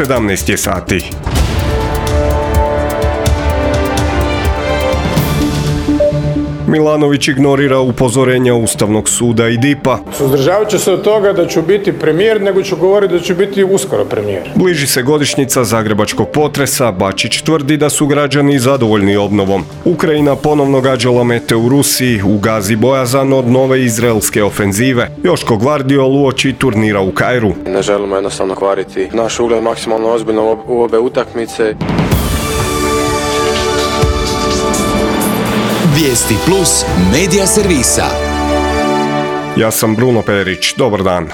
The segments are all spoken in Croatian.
17 je sati. Milanović ignorira upozorenja Ustavnog suda i DIP-a. Suzdržavat ću se od toga da ću biti premijer, nego ću govoriti da ću biti uskoro premijer. Bliži se godišnjica zagrebačkog potresa, Bačić tvrdi da su građani zadovoljni obnovom. Ukrajina ponovno gađala mete u Rusiji, u Gazi bojazan od nove izraelske ofenzive. Joško Gvardiol uoči turnira u Kairu. Ne želimo jednostavno kvariti naš ugled maksimalno ozbiljno u obe utakmice. Vijesti Plus medija servisa. Ja sam Bruno Perić, dobar dan.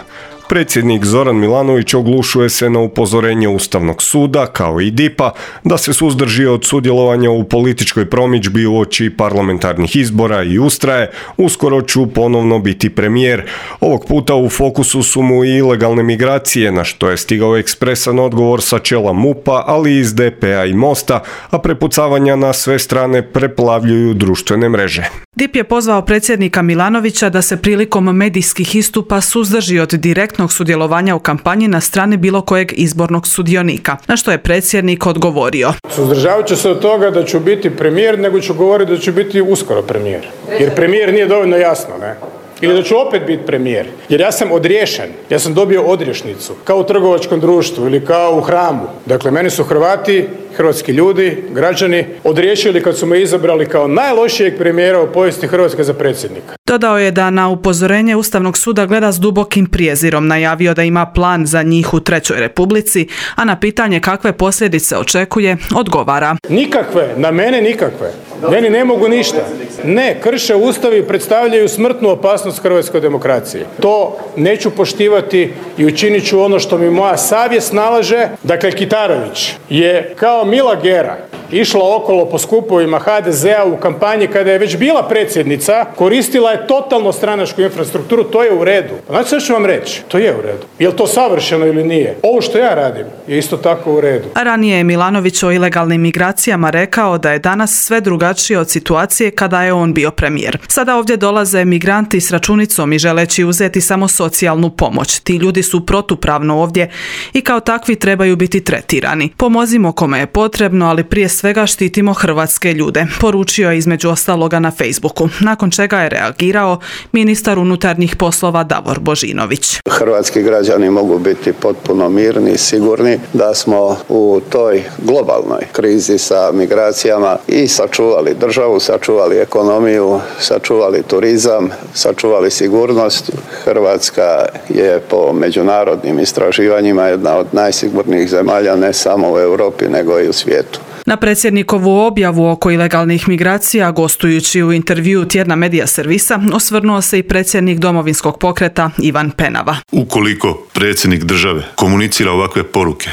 Predsjednik Zoran Milanović oglušuje se na upozorenje Ustavnog suda, kao i DIP-a, da se suzdrži od sudjelovanja u političkoj promidžbi uoči parlamentarnih izbora i ustraje, uskoro ću ponovno biti premijer. Ovog puta u fokusu su mu i ilegalne migracije, na što je stigao ekspresan odgovor sa čela MUP-a, ali i iz DP-a i Mosta, a prepucavanja na sve strane preplavljuju društvene mreže. DIP je pozvao predsjednika Milanovića da se prilikom medijskih istupa suzdrži od direktnog sudjelovanja u kampanji na strani bilo kojeg izbornog sudionika, na što je predsjednik odgovorio. Suzdržavat ću se od toga da ću biti premijer, nego ću govoriti da ću biti uskoro premijer. Jer premijer nije dovoljno jasno, ne? Ili da ću opet biti premijer. Jer ja sam odriješen, ja sam dobio odriješnicu, kao u trgovačkom društvu ili kao u hramu. Dakle, meni su Hrvati, hrvatski ljudi, građani odriješili kad su me izabrali kao najlošijeg premijera u povijesti Hrvatske za predsjednika. Dodao je da na upozorenje Ustavnog suda gleda s dubokim prijezirom, najavio da ima plan za njih u Trećoj Republici, a na pitanje kakve posljedice očekuje, odgovara. Nikakve, na mene nikakve. Meni ne mogu ništa. Ne, krše Ustav i predstavljaju smrtnu opasnost hrvatskoj demokraciji. To neću poštivati i učinit ću ono što mi moja savjest nalaže. Dakle, Kitarović je kao Mila Gera išla okolo po skupovima HDZ-a u kampanji kada je već bila predsjednica, koristila je totalno stranačku infrastrukturu, to je u redu. Znači što ću vam reći? To je u redu. Je li to savršeno ili nije? Ovo što ja radim je isto tako u redu. A ranije je Milanović o ilegalnim migracijama rekao da je danas sve drugačije od situacije kada je on bio premijer. Sada ovdje dolaze migranti s računicom i želeći uzeti samo socijalnu pomoć. Ti ljudi su protupravno ovdje i kao takvi trebaju biti tretirani. Pomozimo kome je potrebno, ali prije svega štitimo hrvatske ljude, poručio je između ostaloga na Facebooku, nakon čega je reagirao ministar unutarnjih poslova Davor Božinović. Hrvatski građani mogu biti potpuno mirni i sigurni da smo u toj globalnoj krizi sa migracijama i sačuvali državu, sačuvali ekonomiju, sačuvali turizam, sačuvali sigurnost. Hrvatska je po međunarodnim istraživanjima jedna od najsigurnijih zemalja ne samo u Europi nego i u svijetu. Na predsjednikovu objavu oko ilegalnih migracija, gostujući u intervjuu tjedna medija servisa, osvrnuo se i predsjednik Domovinskog pokreta Ivan Penava. Ukoliko predsjednik države komunicira ovakve poruke,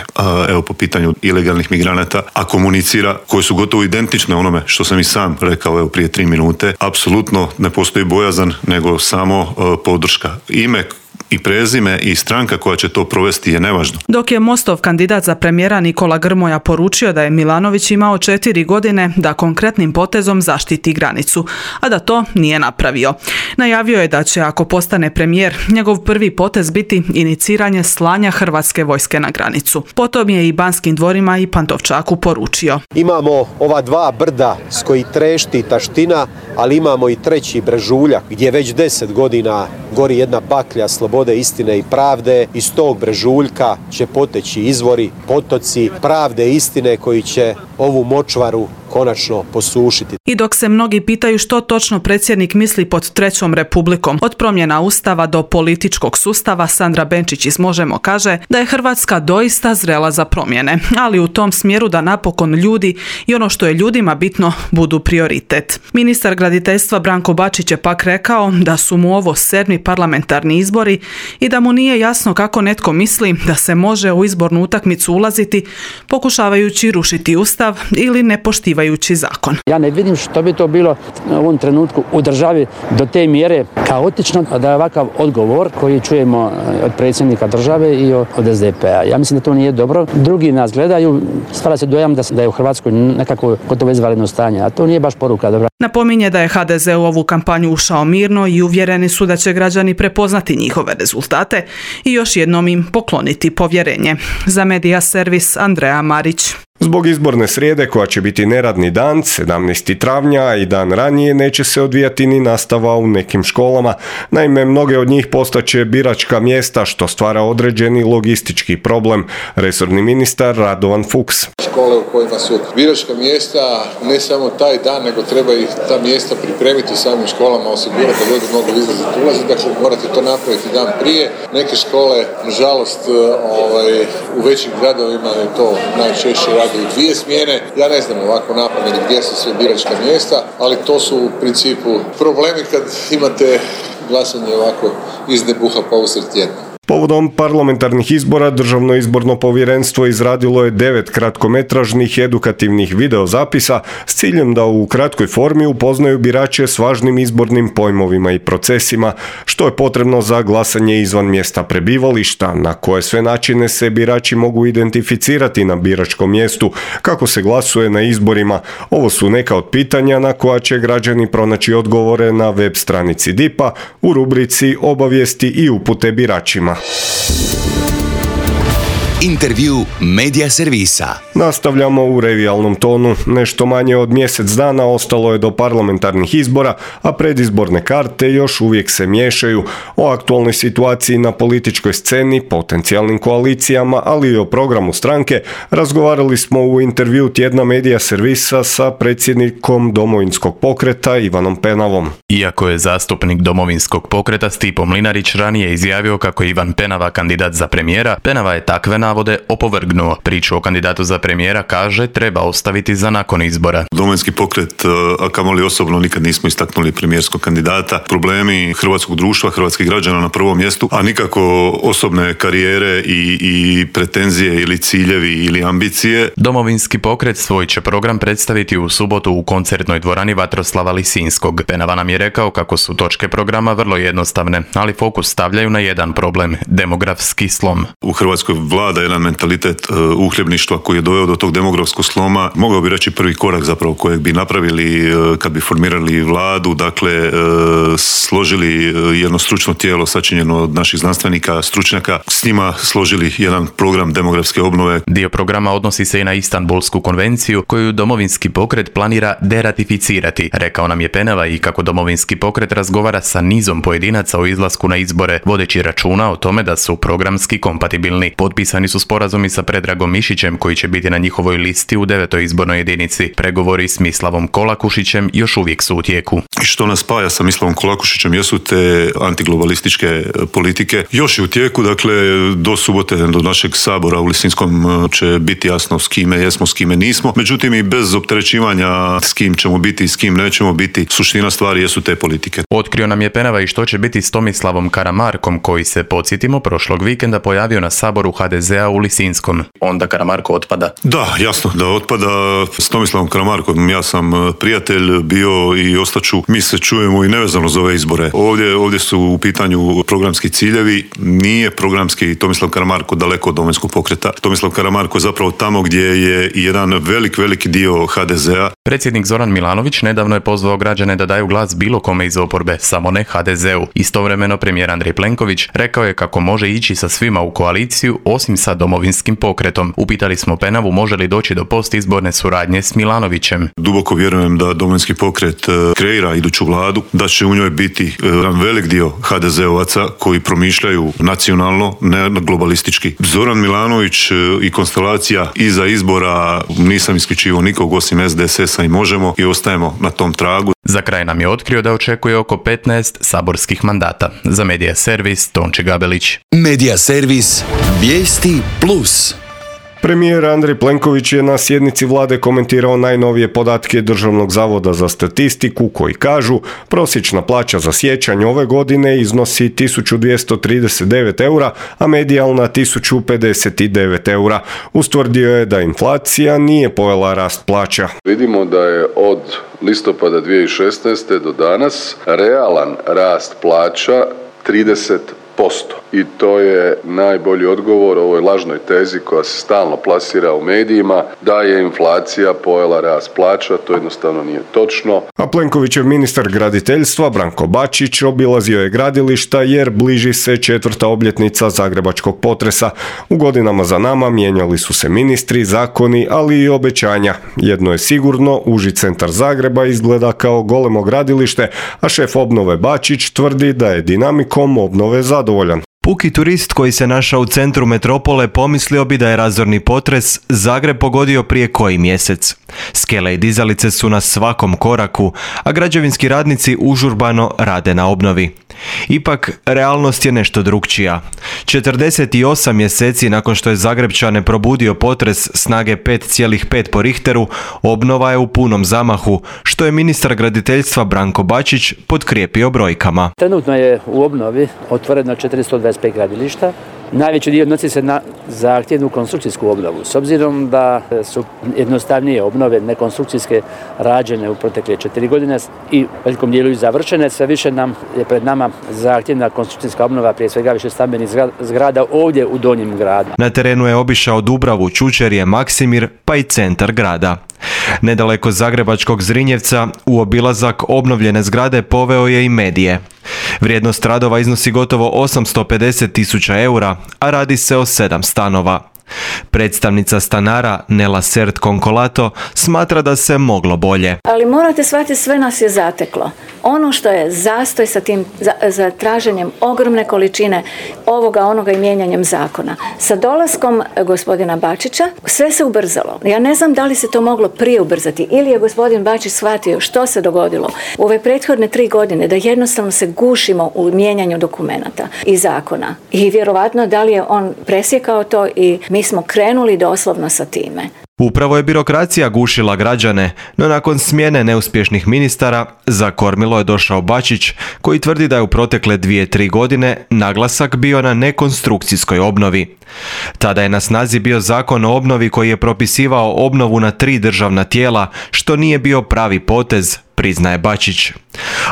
evo po pitanju ilegalnih migranata, a komunicira koje su gotovo identične onome što sam i sam rekao evo prije 3 minute, apsolutno ne postoji bojazan, nego samo podrška. Ime i prezime i stranka koja će to provesti je nevažno. Dok je Mostov kandidat za premijera Nikola Grmoja poručio da je Milanović imao 4 godine da konkretnim potezom zaštiti granicu, a da to nije napravio. Najavio je da će, ako postane premijer, njegov prvi potez biti iniciranje slanja hrvatske vojske na granicu. Potom je i Banskim dvorima i Pantovčaku poručio. Imamo ova 2 brda s koji trešti taština, ali imamo i 3. Brežuljak gdje već 10 godina gori jedna baklja slobode, istine i pravde. Iz tog brežuljka će poteći izvori, potoci pravde i istine koji će ovu močvaru konačno posušiti. I dok se mnogi pitaju što točno predsjednik misli pod Trećom Republikom, od promjena Ustava do političkog sustava, Sandra Benčić iz Možemo kaže da je Hrvatska doista zrela za promjene, ali u tom smjeru da napokon ljudi i ono što je ljudima bitno budu prioritet. Ministar graditeljstva Branko Bačić je pak rekao da su mu ovo 7. parlamentarni izbori i da mu nije jasno kako netko misli da se može u izbornu utakmicu ulaziti pokušavajući rušiti Ustav ili ne poštivajući poštivajući zakon. Ja ne vidim što bi to bilo u ovom trenutku u državi do te mjere kaotično da je ovakav odgovor koji čujemo od predsjednika države i od SDP-a. Ja mislim da to nije dobro. Drugi nas gledaju, stvara se dojam da je u Hrvatskoj nekako gotovo izvanredno stanje, a to nije baš poruka dobra. Napominje da je HDZ u ovu kampanju ušao mirno i uvjereni su da će građani prepoznati njihove rezultate i još jednom im pokloniti povjerenje. Za Medija servis Andreja Marić. Zbog izborne srijede koja će biti neradni dan, 17. travnja i dan ranije neće se odvijati ni nastava u nekim školama. Naime, mnoge od njih postaće biračka mjesta što stvara određeni logistički problem. Resorni ministar Radovan Fuchs. Škole u kojima su biračka mjesta ne samo taj dan, nego treba i ta mjesta pripremiti u samim školama, osigurati da ljudi mogu izlaziti, ulaziti, dakle morate to napraviti dan prije. Neke škole, nažalost, u većim gradovima je to najčešće radi u 2 smjene. Ja ne znam ovako napamet gdje su sve biračka mjesta, ali to su u principu problemi kad imate glasanje ovako iz nebuha pa usred tjedna. Povodom parlamentarnih izbora Državno izborno povjerenstvo izradilo je 9 kratkometražnih edukativnih videozapisa s ciljem da u kratkoj formi upoznaju birače s važnim izbornim pojmovima i procesima, što je potrebno za glasanje izvan mjesta prebivališta, na koje sve načine se birači mogu identificirati na biračkom mjestu, kako se glasuje na izborima. Ovo su neka od pitanja na koja će građani pronaći odgovore na web stranici DIP-a u rubrici Obavijesti i upute biračima. Intervju Medija servisa. Nastavljamo u revijalnom tonu. Nešto manje od mjesec dana ostalo je do parlamentarnih izbora, a predizborne karte još uvijek se miješaju. O aktualnoj situaciji na političkoj sceni, potencijalnim koalicijama, ali i o programu stranke razgovarali smo u intervju tjedna Medija servisa sa predsjednikom Domovinskog pokreta Ivanom Penavom. Iako je zastupnik Domovinskog pokreta Stipo Mlinarić ranije izjavio kako je Ivan Penava kandidat za premijera, Penava je takve navode opovrgnuo. Priču o kandidatu za premijera, kaže, treba ostaviti za nakon izbora. Domovinski pokret, a kamoli osobno, nikad nismo istaknuli premijerskog kandidata. Problemi hrvatskog društva, hrvatskih građana na prvom mjestu, a nikako osobne karijere i pretenzije ili ciljevi ili ambicije. Domovinski pokret svoj će program predstaviti u subotu u koncertnoj dvorani Vatroslava Lisinskog. Penava nam je rekao kako su točke programa vrlo jednostavne, ali fokus stavljaju na jedan problem, demografski slom. U Hrvatskoj vlada jedan mentalitet uhljebništva koji je doveo do tog demografskog sloma. Mogao bi reći prvi korak zapravo kojeg bi napravili kad bi formirali vladu, dakle složili jedno stručno tijelo sačinjeno od naših znanstvenika, stručnjaka, s njima složili jedan program demografske obnove. Dio programa odnosi se i na Istanbulsku konvenciju koju Domovinski pokret planira deratificirati. Rekao nam je Penava i kako Domovinski pokret razgovara sa nizom pojedinaca o izlasku na izbore, vodeći računa o tome da su programski kompatibilni. Potpisani su sporazumi sa Predragom Mišićem koji će biti na njihovoj listi u 9. izbornoj jedinici. Pregovori s Mislavom Kolakušićem još uvijek su u tijeku. I što nas spaja sa Mislavom Kolakušićem jesu te antiglobalističke politike. Još je u tijeku, dakle do subote, do našeg sabora u Lisinskom će biti jasno s kime jesmo, s kime nismo. Međutim, i bez opterećivanja s kim ćemo biti i s kim nećemo biti, suština stvari jesu te politike. Otkrio nam je Penava i što će biti s Tomislavom Karamarkom koji se, podsjetimo, prošlog vikenda pojavio na saboru HDZ-a u Lisinskom. Onda Karamarko otpada? Da, jasno da otpada. S Tomislavom Karamarkom ja sam prijatelj bio i ostaću. Mi se čujemo i nevezano za ove izbore. Ovdje su u pitanju programski ciljevi. Nije programski Tomislav Karamarko daleko od Domovinskog pokreta. Tomislav Karamarko je zapravo tamo gdje je jedan veliki dio HDZ-a. Predsjednik Zoran Milanović nedavno je pozvao građane da daju glas bilo kome iz oporbe, samo ne HDZ-u. Istovremeno premijer Andrej Plenković rekao je kako može ići sa svima u koaliciju osim sa Domovinskim pokretom. Upitali smo Penavu može li doći do postizborne suradnje s Milanovićem. Duboko vjerujem da Domovinski pokret kreira iduću vladu, da će u njoj biti jedan velik dio HDZ-ovaca koji promišljaju nacionalno, ne globalistički. Zoran Milanović i konstelacija iza izbora, nisam isključivao nikog osim SDSS-a i Možemo i ostajemo na tom tragu. Za kraj nam je otkrio da očekuje oko 15 saborskih mandata. Za Medija servis Tonči Gabelić. Medija servis Vijesti Plus. Premijer Andrej Plenković je na sjednici vlade komentirao najnovije podatke Državnog zavoda za statistiku koji kažu prosječna plaća za siječanj ove godine iznosi 1239 eura, a medijalna 1059 eura. Ustvrdio je da inflacija nije pojela rast plaća. Vidimo da je od listopada 2016. do danas realan rast plaća 30%. I to je najbolji odgovor ovoj lažnoj tezi koja se stalno plasira u medijima da je inflacija pojela rast plaća. To jednostavno nije točno. A Plenkovićev ministar graditeljstva Branko Bačić obilazio je gradilišta jer bliži se 4. obljetnica zagrebačkog potresa. U godinama za nama mijenjali su se ministri, zakoni, ali i obećanja. Jedno je sigurno, uži centar Zagreba izgleda kao golemo gradilište, a šef obnove Bačić tvrdi da je dinamikom obnove zadovoljan. Puki turist koji se našao u centru metropole pomislio bi da je razorni potres Zagreb pogodio prije koji mjesec. Skele i dizalice su na svakom koraku, a građevinski radnici užurbano rade na obnovi. Ipak, realnost je nešto drukčija. 48 mjeseci nakon što je Zagrepčane probudio potres snage 5,5 po Richteru, obnova je u punom zamahu, što je ministar graditeljstva Branko Bačić potkrijepio brojkama. Trenutno je u obnovi otvoreno 425 gradilišta. Najveći dio odnosi se na zahtjevnu konstrukcijsku obnovu. S obzirom da su jednostavnije obnove nekonstrukcijske rađene u protekle 4 godine i u velikom dijelu i završene, sve više nam je pred nama zahtjevna konstrukcijska obnova, prije svega više stambenih zgrada ovdje u Donjem gradu. Na terenu je obišao Dubravu, Čučerje, Maksimir pa i centar grada. Nedaleko zagrebačkog Zrinjevca u obilazak obnovljene zgrade poveo je i medije. Vrijednost radova iznosi gotovo 850.000 eura, a radi se o 7 stanova. Predstavnica stanara Nela Sert Konkolato smatra da se moglo bolje. Ali morate shvatiti, sve nas je zateklo. Ono što je zastoj sa tim za traženjem ogromne količine onoga i mijenjanjem zakona. Sa dolaskom gospodina Bačića sve se ubrzalo. Ja ne znam da li se to moglo prije ubrzati ili je gospodin Bačić shvatio što se dogodilo u ove prethodne 3 godine, da jednostavno se gušimo u mijenjanju dokumenata i zakona. I vjerovatno da li je on presjekao to i mi smo krenuli doslovno sa time. Upravo je birokracija gušila građane, no nakon smjene neuspješnih ministara za kormilo je došao Bačić, koji tvrdi da je u protekle 2-3 godine naglasak bio na nekonstrukcijskoj obnovi. Tada je na snazi bio zakon o obnovi koji je propisivao obnovu na 3 državna tijela, što nije bio pravi potez, priznaje Bačić.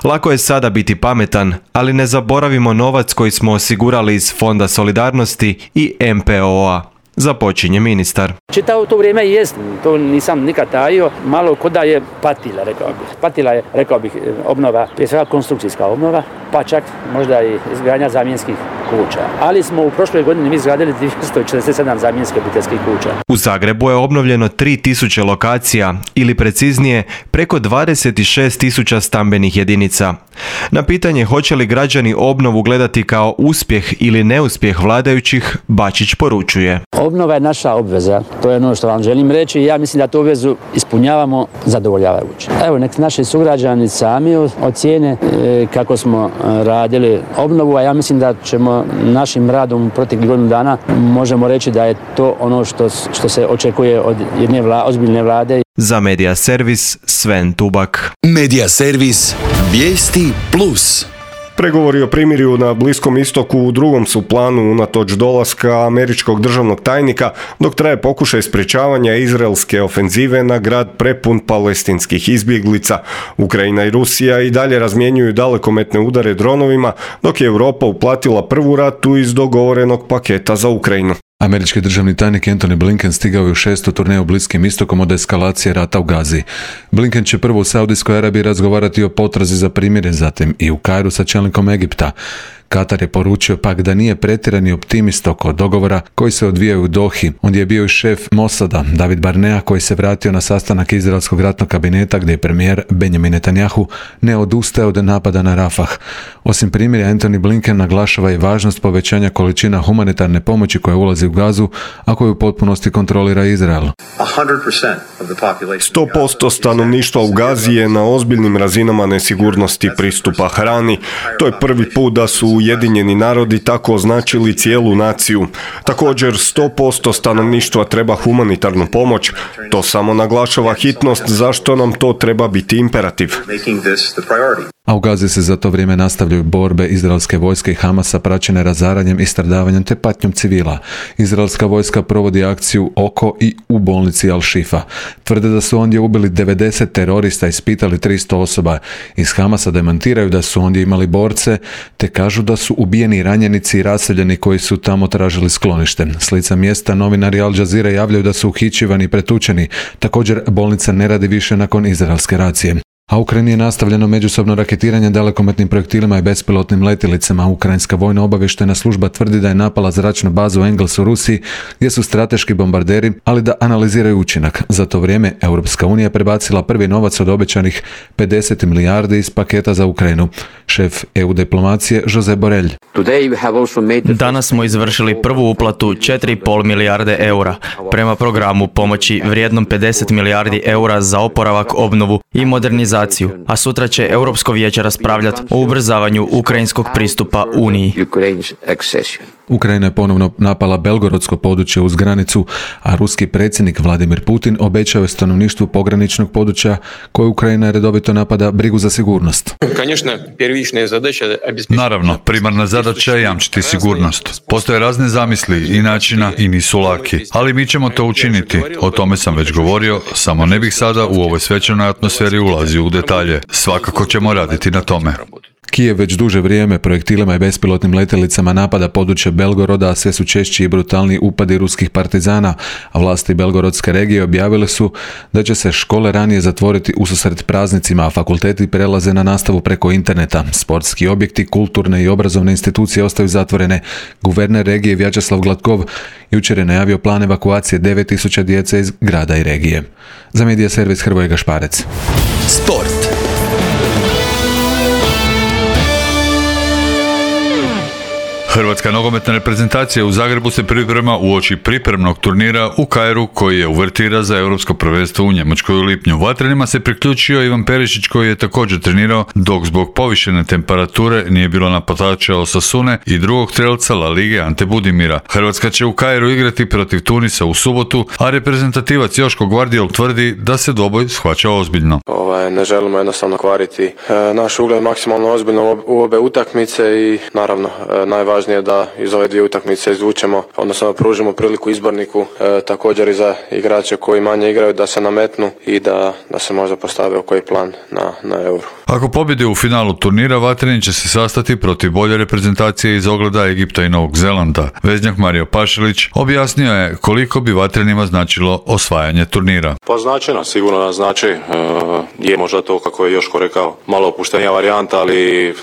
Lako je sada biti pametan, ali ne zaboravimo novac koji smo osigurali iz Fonda solidarnosti i MPO-a. Započinje ministar. Čitavo to vrijeme jest, to nisam nikad tajio, malo ko da je patila, rekao bih. Patila je, rekao bih, obnova, prije svega konstrukcijska obnova, pa čak možda i izgradnja zamjenskih kuća. Ali smo u prošloj godini mi izgradili 247 zamjenskih obiteljskih kuća. U Zagrebu je obnovljeno 3000 lokacija, ili preciznije, preko 26.000 stambenih jedinica. Na pitanje hoće li građani obnovu gledati kao uspjeh ili neuspjeh vladajućih, Bačić poručuje. Obnova je naša obveza, to je ono što vam želim reći i ja mislim da tu obvezu ispunjavamo zadovoljavajuće. Evo, nek naši sugrađani sami ocijene kako smo radili obnovu, a ja mislim da ćemo našim radom proteklih godinu dana možemo reći da je to ono što se očekuje od jedne ozbiljne vlade. Za Medija servis Sven Tubak. Medija servis Vijesti Plus. Pregovori o primirju na Bliskom istoku u drugom su planu unatoč dolaska američkog državnog tajnika, dok traje pokušaj sprječavanja izraelske ofenzive na grad prepun palestinskih izbjeglica. Ukrajina i Rusija i dalje razmjenjuju dalekometne udare dronovima, dok je Europa uplatila prvu ratu iz dogovorenog paketa za Ukrajinu. Američki državni tajnik Antony Blinken stigao je u 6. turneju Bliskim istokom od eskalacije rata u Gazi. Blinken će prvo u Saudijskoj Arabiji razgovarati o potrazi za primirje, zatim i u Kairu sa čelnikom Egipta. Katar je poručio pak da nije pretjerani optimist oko dogovora koji se odvijaju u Dohi. Ondje je bio i šef Mossada, David Barnea, koji se vratio na sastanak izraelskog ratnog kabineta gdje je premijer Benjamin Netanyahu ne odustaje od napada na Rafah. Osim primirja, Antony Blinken naglašava i važnost povećanja količina humanitarne pomoći koja ulazi u Gazu, a koju u potpunosti kontrolira Izrael. 100% stanovništva u Gazi je na ozbiljnim razinama nesigurnosti pristupa hrani. To je prvi put da su Ujedinjeni narodi tako označili cijelu naciju. Također 100% stanovništva treba humanitarnu pomoć. To samo naglašava hitnost zašto nam to treba biti imperativ. A u Gazi se za to vrijeme nastavljaju borbe izraelske vojske i Hamasa praćene razaranjem i stradavanjem te patnjom civila. Izraelska vojska provodi akciju oko i u bolnici Al-Shifa. Tvrde da su ondje ubili 90 terorista i ispitali 300 osoba. Iz Hamasa demantiraju da su ondje imali borce, te kažu da su ubijeni i ranjenici i raseljeni koji su tamo tražili sklonište. S lica mjesta novinari Al Jazeera javljaju da su uhićivani i pretučeni. Također bolnica ne radi više nakon izraelske racije. A u Ukrajini je nastavljeno međusobno raketiranje dalekometnim projektilima i bespilotnim letjelicama. Ukrajinska vojna obavještajna služba tvrdi da je napala zračnu bazu Engels u Rusiji, gdje su strateški bombarderi, ali da analiziraju učinak. Za to vrijeme Europska unija prebacila prvi novac od obećanih 50 milijardi iz paketa za Ukrajinu. Šef EU diplomacije Josep Borrell. Danas smo izvršili prvu uplatu 4,5 milijarde eura prema programu pomoći vrijednom 50 milijardi eura za oporavak, obnovu i modernizaciju, a sutra će Europsko vijeće raspravljati o ubrzavanju ukrajinskog pristupa Uniji. Ukrajina je ponovno napala belgorodsko područje uz granicu, a ruski predsjednik Vladimir Putin obećao je stanovništvu pograničnog područja koje Ukrajina redovito napada brigu za sigurnost. Naravno, primarna zadaća je jamčiti sigurnost. Postoje razne zamisli i načina i nisu laki, ali mi ćemo to učiniti. O tome sam već govorio, samo ne bih sada u ovoj svečanoj atmosferi ulazio u detalje. Svakako ćemo raditi na tome. Kijev već duže vrijeme projektilima i bespilotnim letjelicama napada područje Belgoroda, a sve su češći i brutalniji upadi ruskih partizana, a vlasti belgorodske regije objavile su da će se škole ranije zatvoriti ususret praznicima, a fakulteti prelaze na nastavu preko interneta. Sportski objekti, kulturne i obrazovne institucije ostaju zatvorene. Guverner regije Vjačeslav Gladkov jučer je najavio plan evakuacije 9000 djece iz grada i regije. Za medija servis Hrvoje Gašparec. Sport. Hrvatska nogometna reprezentacija u Zagrebu se priprema uoči pripremnog turnira u Kairu koji je uvertira za europsko prvenstvo u Njemačkoj u lipnju. Vatrenima se priključio Ivan Perišić koji je također trenirao, dok zbog povišene temperature nije bilo napadača Osasune i drugog strelca La Lige Ante Budimira. Hrvatska će u Kairu igrati protiv Tunisa u subotu, a reprezentativac Joško Gvardiol tvrdi da se dvoboj shvaća ozbiljno. Ne želimo jednostavno kvariti naš ugled maksimalno ozbiljno u obe utakmice i naravno najvažnije je da iz ove dvije utakmice izvučemo, odnosno da pružimo priliku izborniku, također i za igrače koji manje igraju da se nametnu i da se možda postave koji plan na Euro. Ako pobjede u finalu turnira, Vatreni će se sastati protiv bolje reprezentacije iz ogleda Egipta i Novog Zelanda. Veznjak Mario Pašilić objasnio je koliko bi Vatrenima značilo osvajanje turnira. Pa značajno, sigurno nas znači. Je možda to, kako je Joško rekao, malo opuštenija varijanta, ali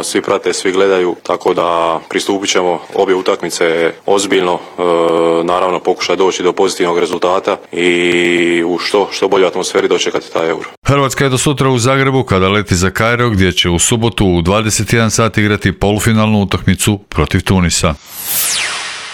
svi prate, svi gledaju, tako da pristupit ćemo obje utakmice ozbiljno, naravno pokušati doći do pozitivnog rezultata i u što boljoj atmosferi dočekati taj Euro. Hrvatska je do sutra u Zagrebu kada leti za Kairo, gdje će u subotu u 21 sat igrati polufinalnu utakmicu protiv Tunisa.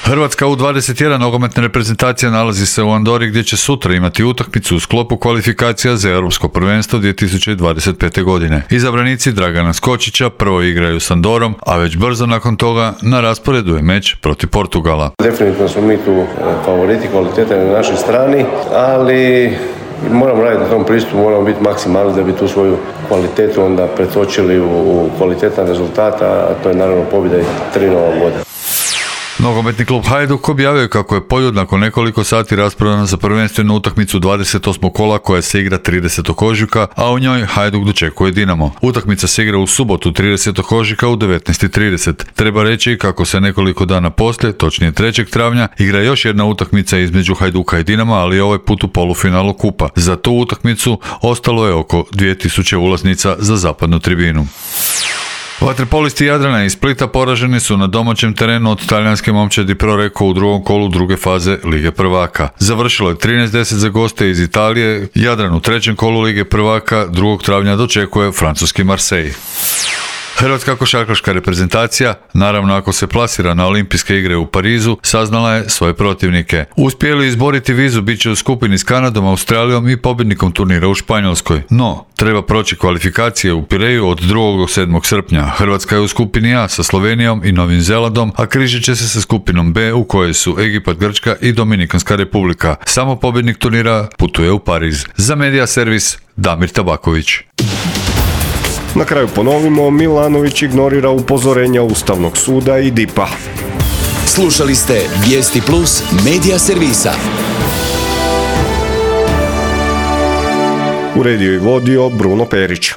Hrvatska u 21 nogometna reprezentacija nalazi se u Andori, gdje će sutra imati utakmicu u sklopu kvalifikacija za Europsko prvenstvo 2025. godine. Izabranici Dragana Skočića prvo igraju s Andorom, a već brzo nakon toga na rasporedu je meč protiv Portugala. Definitivno smo mi tu favoriti, kvaliteta je na našoj strani, ali moramo raditi na tom pristupu, moramo biti maksimalni da bi tu svoju kvalitetu onda pretočili u kvalitetan rezultat, a to je naravno pobjeda i 3 Nova Goda. Nogometni klub Hajduk objavio je kako je Poljud nakon nekoliko sati raspravljena za prvenstvenu utakmicu 28. kola koja se igra 30. ožujka, a u njoj Hajduk dočekuje Dinamo. Utakmica se igra u subotu 30. ožujka u 19:30. Treba reći kako se nekoliko dana poslije, točnije 3. travnja, igra još jedna utakmica između Hajduka i Dinama, ali ovaj put u polufinalu kupa. Za tu utakmicu ostalo je oko 2000 ulaznica za zapadnu tribinu. Vaterpolisti Jadrana iz Splita poraženi su na domaćem terenu od talijanske momčadi Proreko u drugom kolu druge faze Lige prvaka. Završilo je 13:10 za goste iz Italije. Jadran u trećem kolu Lige prvaka 2. travnja dočekuje francuski Marseille. Hrvatska košarkaška reprezentacija, naravno ako se plasira na olimpijske igre u Parizu, saznala je svoje protivnike. Uspjeli izboriti vizu bit će u skupini s Kanadom, Australijom i pobjednikom turnira u Španjolskoj. No, treba proći kvalifikacije u Pireju od 2. do 7. srpnja. Hrvatska je u skupini A sa Slovenijom i Novim Zelandom, a križit će se sa skupinom B u kojoj su Egipat, Grčka i Dominikanska republika. Samo pobjednik turnira putuje u Pariz. Za Medija servis Damir Tabaković. Na kraju ponovimo, Milanović ignorira upozorenja Ustavnog suda i DIP-a. Slušali ste Vijesti Plus Medija servisa. Uredio i vodio Bruno Perić.